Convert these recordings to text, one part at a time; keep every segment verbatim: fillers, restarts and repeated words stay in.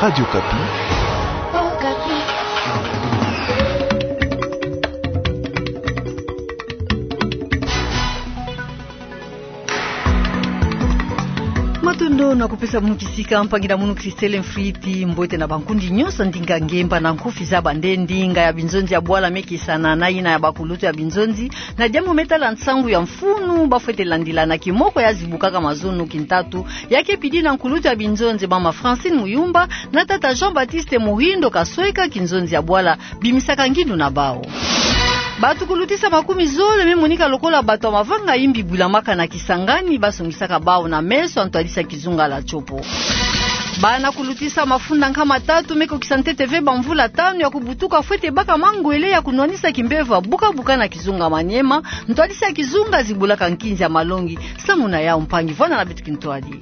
Radio Okapi. Matondo na kupesa munu kisika, mpangi na munu Christelle Mfriti. Mbote na bankundi nyonso, ndinga ngemba na nkufi za bande ndinga ya binzonzi ya bwala me kisana na yina ya bakulutu ya binzonzi na diambu me tala nsangu ya mfunu bafwete landila na kimoko ya zibukaka mazono kintatu, ya ke pidi na nkulutu ya binzonzi mama Francine Muyumba na tata Jean-Baptiste Muhindo Kasweka, kinzonzi ya bwala bimisaka ngindu na bawu. Bato kulutisa makumi zole me monika lokola bato ya mavanga imbi bwilamaka na Kisangani, basongisaka bawu na meso ya ntwadisi ya kizunga la Tshopo. Bana kulutisa mafunda nkama tatu me kokisa ntete ve bamvula tanu ya kubutuka fwete baka mangwele ya kunwanisa kimbevo ya buka-buka na kizunga Maniema, ntwadisi ya kizunga zibulaka nkinzi ya malongi. Samu na yawu, mpangi, vwanda na beto kintwadi.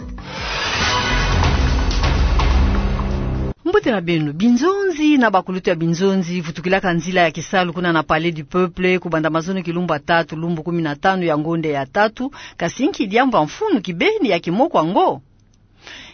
Mbote na beno. Binzonzi na bakulutu ya binzonzi vutukilaka nzila ya kisalu kuna na Palais du Peuple kubanda mazono kilumbu ya tatu, lumbu kumi na tanu ya ngonde ya tatu, kasi nki diambu ya mfunu kibeni ya kimoko yango?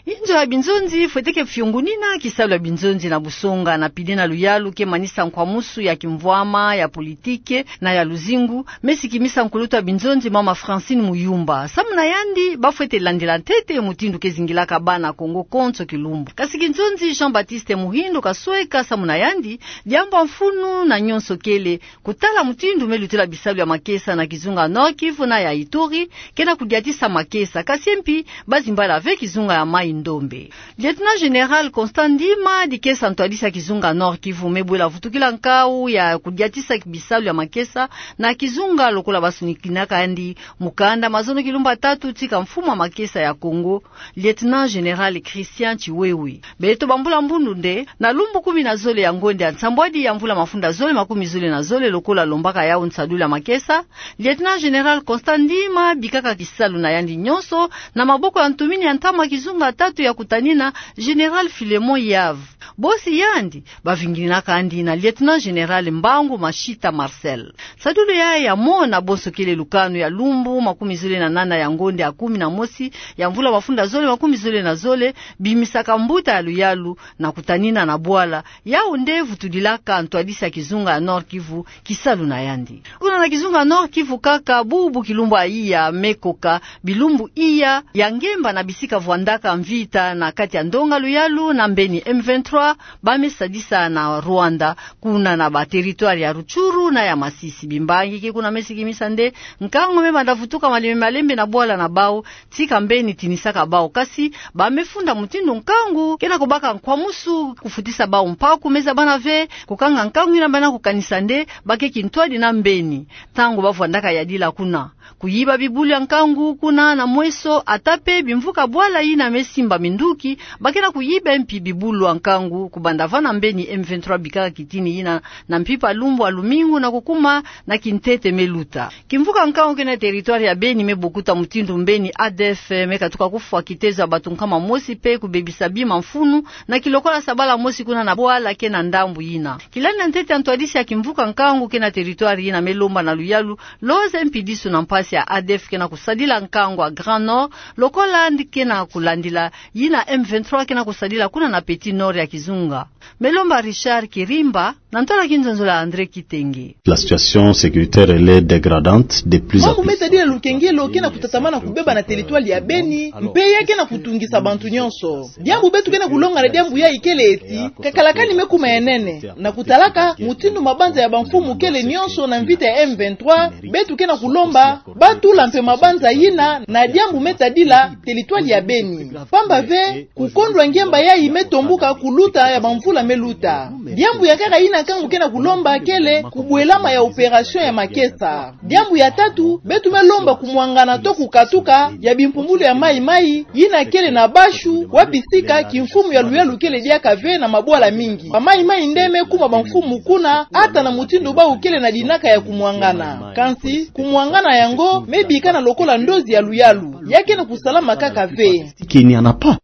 Inzo ya binzonzi fwete ke fiongunina kisalu ya binzonzi na busonga na pide na luyalu ke manisa nkwamusu ya kimvwama, ya politike na ya luzingu, me sikimisa nkulutu ya binzonzi mama Francine Muyumba. Samu na yandi, bafwete landila ntete mutindu ke zingilaka bana Kongo konso kilumbu. Kasi kinzonzi Jean-Baptiste Muhindo Kasweka, samu na yandi, diambu ya mfunu na nyonso kele kutala mutindu me lutila bisalu ya makesa na kizunga Nord-Kivu na ya Ituri, ke na kudiatisa makesa, kasi mpi bazimbala ve kizunga ya Mai-Ndombe. Lieutenant-général Constant Ndima, dikesa ntwadisi ya kizunga Nord-Kivu, me bwela vutukila nkawu ya kudiatisa bisalu ya makesa na kizunga lokola basonikinaka yandi mukanda mazono kilumbu ya tatu tika mfumu ya makesa ya Kongo, Lieutenant-général Christian Tshiwewe. Beto bambula mbundu nde, na lumbu kumi na zole ya ngonde ya nsambwadi ya mvula mafunda zole makumi zole na zole, lokola lombaka yawu nsadulu ya makesa, Lieutenant-général Constant Ndima bikaka kisalu na yandi nyonso na maboko ya ntumini ya ntama kizunga tatu ya kutanina, général Philémon Yave. Bosi yandi, bavingininaka yandi na Lieutenant-général Mbangu Mashita Marcel. Nsadulu yayi ya mona bonso kele lukanu ya lumbu makumi zole na nana ya ngonde ya kumi na mosi ya mvula mafunda zole makumi zole na zole, bimisaka mbuta ya luyalu na kutanina na bwala, yawu nde vutudilaka ntwadisi ya kizunga ya Nord-Kivu kisalu na yandi. Kuna na kizunga Nord-Kivu kaka, bubu kilumbu ya iya me koka bilumbu iya ya ngemba na bisika vwandaka mvita na kati ya ndonga luyalu na mbeni M vingt-trois, ba me sadisa na Rwanda, kuna na ba territoire ya Rutshuru na ya Masisi. Bimbangi ke kuna me sikimisa nde nkangu me banda vutuka malembe malembe na bwala na bawu, tika mbeni tinisaka bawu. Kasi ba me funda mutindu nkangu ke na kubaka nkwamusu, kufutisa bawu mpaku, me zabana ve kukanga nkangu yina, bana kukanisa nde ba ke kintwadi na mbeni. Ntangu ba vwandaka yadila kuna, kuyiba bibulu ya nkangu kuna na mweso, ata pe bimvuka bwala yina me simba minduki, ba ke na kuyiba mpi bibulu ya nkangu, kubanda va na mbeni M vingt-trois bikaka kitini yina na mpimpa lumbu ya lumingu na kukuma na kintete me luta. Kimvuka nkangu ke na territoire ya Beni me bokuta mutindu mbeni A D F me katuka kufwa kitezo ya bato nkama mosi pe kubebisa bima mfunu na kilokola sabala mosi kuna na bwala ke na ndambu yina. Kilandi ya ntete ya ntwadisi ya kimvuka nkangu ke na territoire yina me lomba na luyalu loze mpi disu na mpasi ya A D F ke na kusadila nkangu ya Grand Nord, lokola ndi ke na kulandila yina M vingt-trois ke na kusadila kuna na Petit Nord ya kizunga. Me lomba Richard Kirimba, na ntwala kinzonzolo ya André Kitenge. La situation sécuritaire, elle est dégradante de plus en plus. Mambu me tadila lukengelo ke na kutatamana kubeba na territoire ya Beni, mpe ya ke na kutungisa bantu nyonso. Diambu beto ke na kulonga na diambu yayi kele ti, kakalakani me kuma ya nene. Na kutalaka mutindu mabanza ya bamfumu kele nyonso na mvita ya M vingt-trois, beto ke na kulomba ba tula mpe mabanza yina na diambu me tadila territoire ya Beni. Pamba ve, kukondwa ngemba yayi me tombuka kuluta ya bamvula me luta. Diambu ya nkaka yina nkangu ke na kulomba kele kubwelama ya opération ya makesa. Diambu ya tatu, beto me lomba kumwangana to kukatuka ya bimpumbulu ya mayi-mayi yina kele na Bashu, wapi sika kimfumu ya luyalu kele diaka ve na mabwala mingi. Bamayi-mayi nde me kuma bamfumu kuna, ata na mutindu bawu kele na dinaka ya kumwangana. Kansi, kumwangana yango me bikana lokola ndozi ya luyalu. Ya ke na kusalama kaka ve. Qu'il n'y en a pas.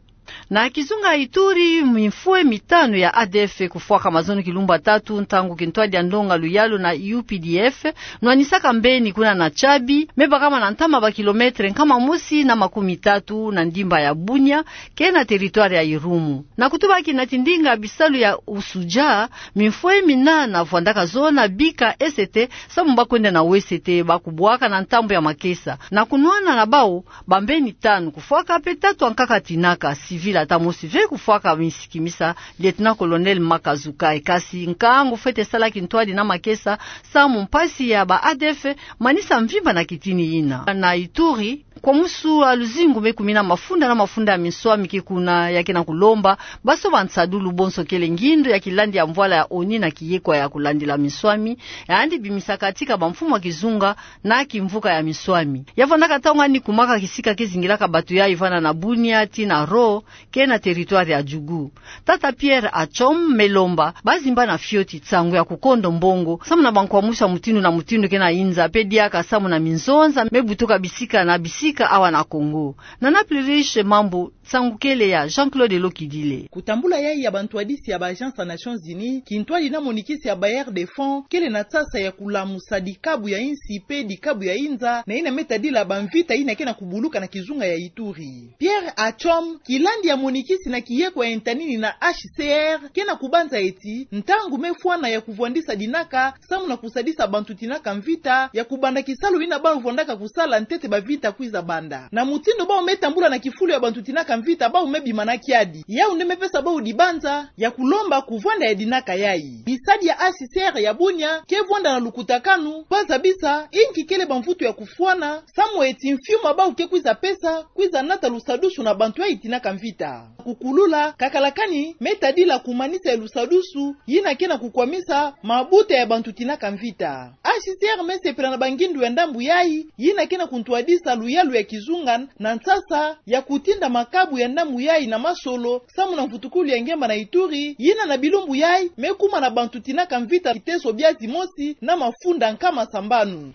Na kizunga Ituri, mifue mitanu ya A D F kufwaka mazono kilumbu tatu ntangu kintwadi ya ndonga luyalu na U P D F nwanisaka mbeni kuna na Tchabi, me bakama na ntama ba kilometre nkama mosi na makumi tatu na ndimba ya Bunia, ke na territoire ya Irumu. Na kutubaki na tindinga bisalu ya usuja, mifue mina na vwandaka zona bika E C T, samu bakwenda na W C T, bakubwaka na ntambu ya makesa. Na kunwana na bau, bambeni tanu kufwaka pe tatu ankaka tinaka, civil ata mosi ve kufwaka, misikimisa Lieutenant-colonel Makazukai. Kasi nkangu fwete sala kintwadi na makesa, samu mpasi ya ba A D F manisa mvimba na kitini yina. Na Ituri, kwa musu a luzingu me kumina mafunda na mafunda ya minswami ke kuna, ya ke na kulomba basoba nsadulu bonso kele ngindu ya kilandi ya mvwala ya ONU na kiyekwa ya kulandila minswami, yandi bimisaka tika bamfumu ya kizunga na kimvuka ya minswami. Ya vwandaka ntangu ngani kumaka kisika ke zingilaka bato yayi vanda na Bunia tii na Ro, ke na territoire ya Djugu. Tata Pierre Atchom me lomba bazimbana fioti nsangu ya kukondo mbongo, samu na bankwamusu ya mutindu na mutindu ke na yinza, pe diaka samu na minzonza me butuka bisika na bisika awa na Congo. Na Naples Riche, mambu nsangu kele ya Jean-Claude Lokidile. Kutambula yayi ya bantwadisi ya ba agence ya Nations Unies, kintwadi na monikisi ya Bailleurs de fonds, kele na nsasa ya kulamusa dikabu ya insi pe dikabu ya yinza, na yina me tadila bamvita yina ke na kubuluka na kizunga ya Ituri. Pierre Atchom, kilandi ya monikisi na kiyekwa ya ntanini na H C R, ke na kubanza eti ntangu me fwana ya kuvwandisa dinaka, samu na kusadisa bantu tinaka mvita ya kubanda kisalu yina bau vwandaka kusala ntete bavita kwiza banda. Na mutindu bau me tambula na kifulu ya bantu tinaka mvita, bau me bima na kiadi. Yau nde me pesa bau dibanza ya kulomba kuvwanda ya dinaka yayi. Bisadi ya H C R ya Bunia ke vwanda na lukutakanu, bazabisa inki kele bamvutu ya kufwana, samu eti mfiuma bau ke kwiza pesa, kwiza nata lusadusu na bantu yayi tinaka mvita. Kukulula, kakala kani me tadila kumanisa ya lusadusu yina ke na kukwamisa mabuta ya bantu tinaka mvita. H C R me sepela na bangindu ya ndambu yayi, yina ke na kuntwadisa luyalu ya kizunga na nsasa ya kutinda makabu ya ndambu yayi na masolo, samu na mvutukulu ya ngemba na Ituri, yina na bilumbu yayi me kuma na bantu tinaka mvita kiteso bia zimosi na mafunda nkama sambanu.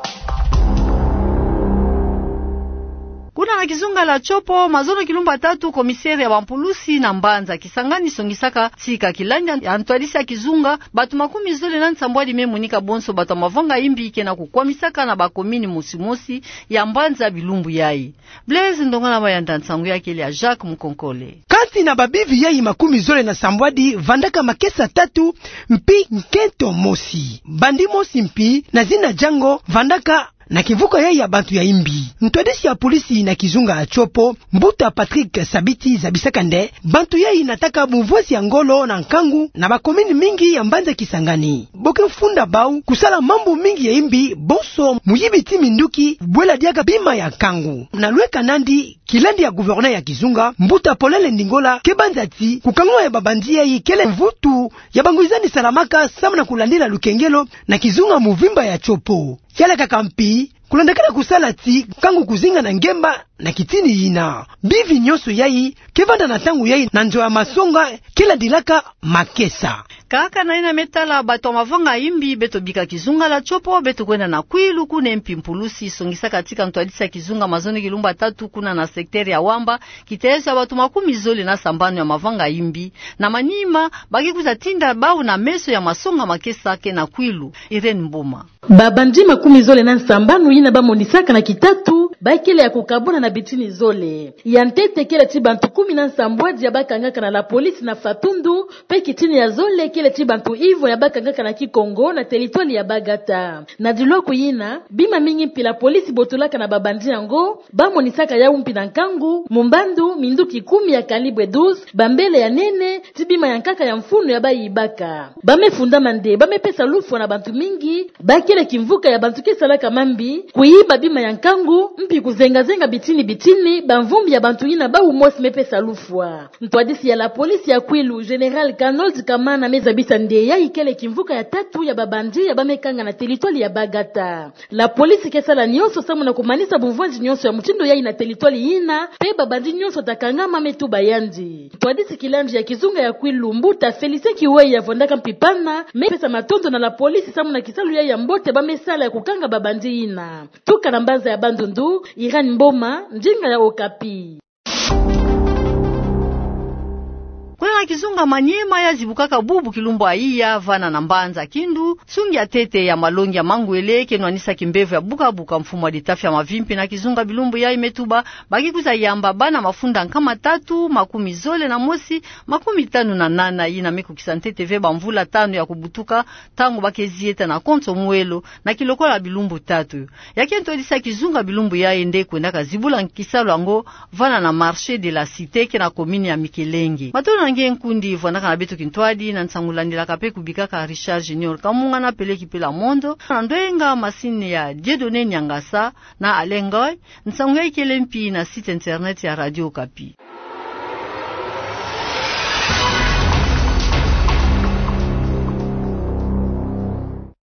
Kuna na kizunga la Tshopo, mazono kilumbu tatu, commissaire ya bampulusi na mbanza Kisangani songisaka tika kilandi ya ntwadisi ya kizunga, bato makumi zole na nsambwadi me monika bonso bato ya mavanga imbi ke na kukwamisaka na bakomini mosi-mosi ya mbanza bilumbu yayi. Blaise Ndongala Mayanda, nsangu ya kele ya Jacques Mukonkole. Kati na babivi yayi makumi zole na sambwadi vandaka makesa tatu mpi nkento mosi. Bandi mosi mpi na zina Django vandaka na kimvuka yayi ya bantu ya imbi. Ntwadisi ya polisi na kizunga ya Tshopo, mbuta Patrick Sabiti, zabisaka nde bantu yayi nataka bumvwesi ya ngolo na nkangu na bakomini mingi ya mbanza Kisangani. Bo ke funda bau kusala mambu mingi ya imbi, bonso muyibi ti minduki, bwela diaka bima ya nkangu. Na lweka nandi, kilandi ya gouverneur ya kizunga, mbuta Paulin Lendingola, ke banza ti kukangama ya babandi yayi kele mvutu ya bangwizani salamaka samu na kulandila lukengelo na kizunga muvimba ya Tshopo. Kialakaka mpi, kulandakana kusala ti nkangu kuzinga na ngemba na kitini yina. Bivi nyonso yayi ke vanda na ntangu yayi na nzo ya masonga ke landilaka makesa. Kaka na yina me tala bato ya mavanga imbi, beto bika kizunga la Tshopo, beto kwenda na Kwilu, kuna mpi mpulusi songisaka tika ntwadisi ya kizunga mazono kilumbu tatu kuna na secteur ya Wamba kiteso ya bato makumi zole na sambanu ya mavanga imbi. Na manima, ba ke kwiza tinda bau na meso ya masonga makesa ke na Kwilu. Irène Mboma. Babandi makumi zole na nsambanu yina bamonisaka na kitatu, ba kele ya kukabwana na bitini zole. Ya ntete kele ti bantu kumi na nsambwadi ya bakangaka na la police na Fatundu, mpe kitini ya zole kele ti bantu ivwa ya bakangaka na Kikongo na territoire ya Bagata. Na dilwaku yina, bima mingi mpi la police botolaka na babandi yango, bamonisaka yau mpi na nkangu, mumbandu, minduki kumi ya calibre douze, bambele ya nene, ti bima ya nkaka ya mfunu ya bayibaka. Ba me fundama nde ba me pesa lufwa na bantu mingi, ba kele kimvuka ya bantu ke salaka mambi, kuyiba bima ya nkangu, mpi kuzenga-zenga bitini-bitini bamvumbi ya bantu yina bau mosi me pesa lufwa. Ntwadisi ya la police ya Kwilu, Général Kanold Kamana, me zabisa nde yayi kele kimvuka ya tatu ya babandi ya ba me kanga na territoire ya Bagata. La police ke sala nyonso samu na kumanisa bumvwandi nyonso ya mutindu yayi na territoire yina, mpe babandi nyonso ta kangama me tuba yandi. Ntwadisi kilandi ya kizunga ya Kwilu, mbuta Félicien Kiweya, vandaka mpi pana, me pesa matondo na la police samu na kisalu yayi ya mbote ba me sala ya kukanga babandi yina. Tuka na mbanza ya Bandundu, Irène Mboma, ndinga ya Okapi. Na kizunga Maniema ya zibukaka bubu kilumbu ya iya vana na mbanza Kindu, nsungi ya ntete ya malongi ya mangwele ke nwanisa kimbevo ya bukabuka, mfumu wa litafi ya mavimpi na kizunga bilumbu yayi me tuba baki kwiza yamba bana mafunda nkama tatu, makumi zole na mosi, makumi tanu na nana, yina me kukisa ntete ve bamvula tanu ya kubutuka, ntangu ba ke zieta na konso mwelo na kilokola bilumbu tatu. Ya ke ntwadisi ya kizunga bilumbu yayi nde kwendaka zibula kisalu yango vana na Marché de la Cité, ke na commune ya Mikelenge. Matondo na nge nkundi vwandaka na beto kintwadi, na nsangu landilaka mpe kubikaka Richard Junior Kamunga na Peleki Pela Mondo, na ndwenga masini ya Dieudonné Niangasa na Alain Ngoy. Nsangu yayi kele mpi na site internet ya Radio Okapi.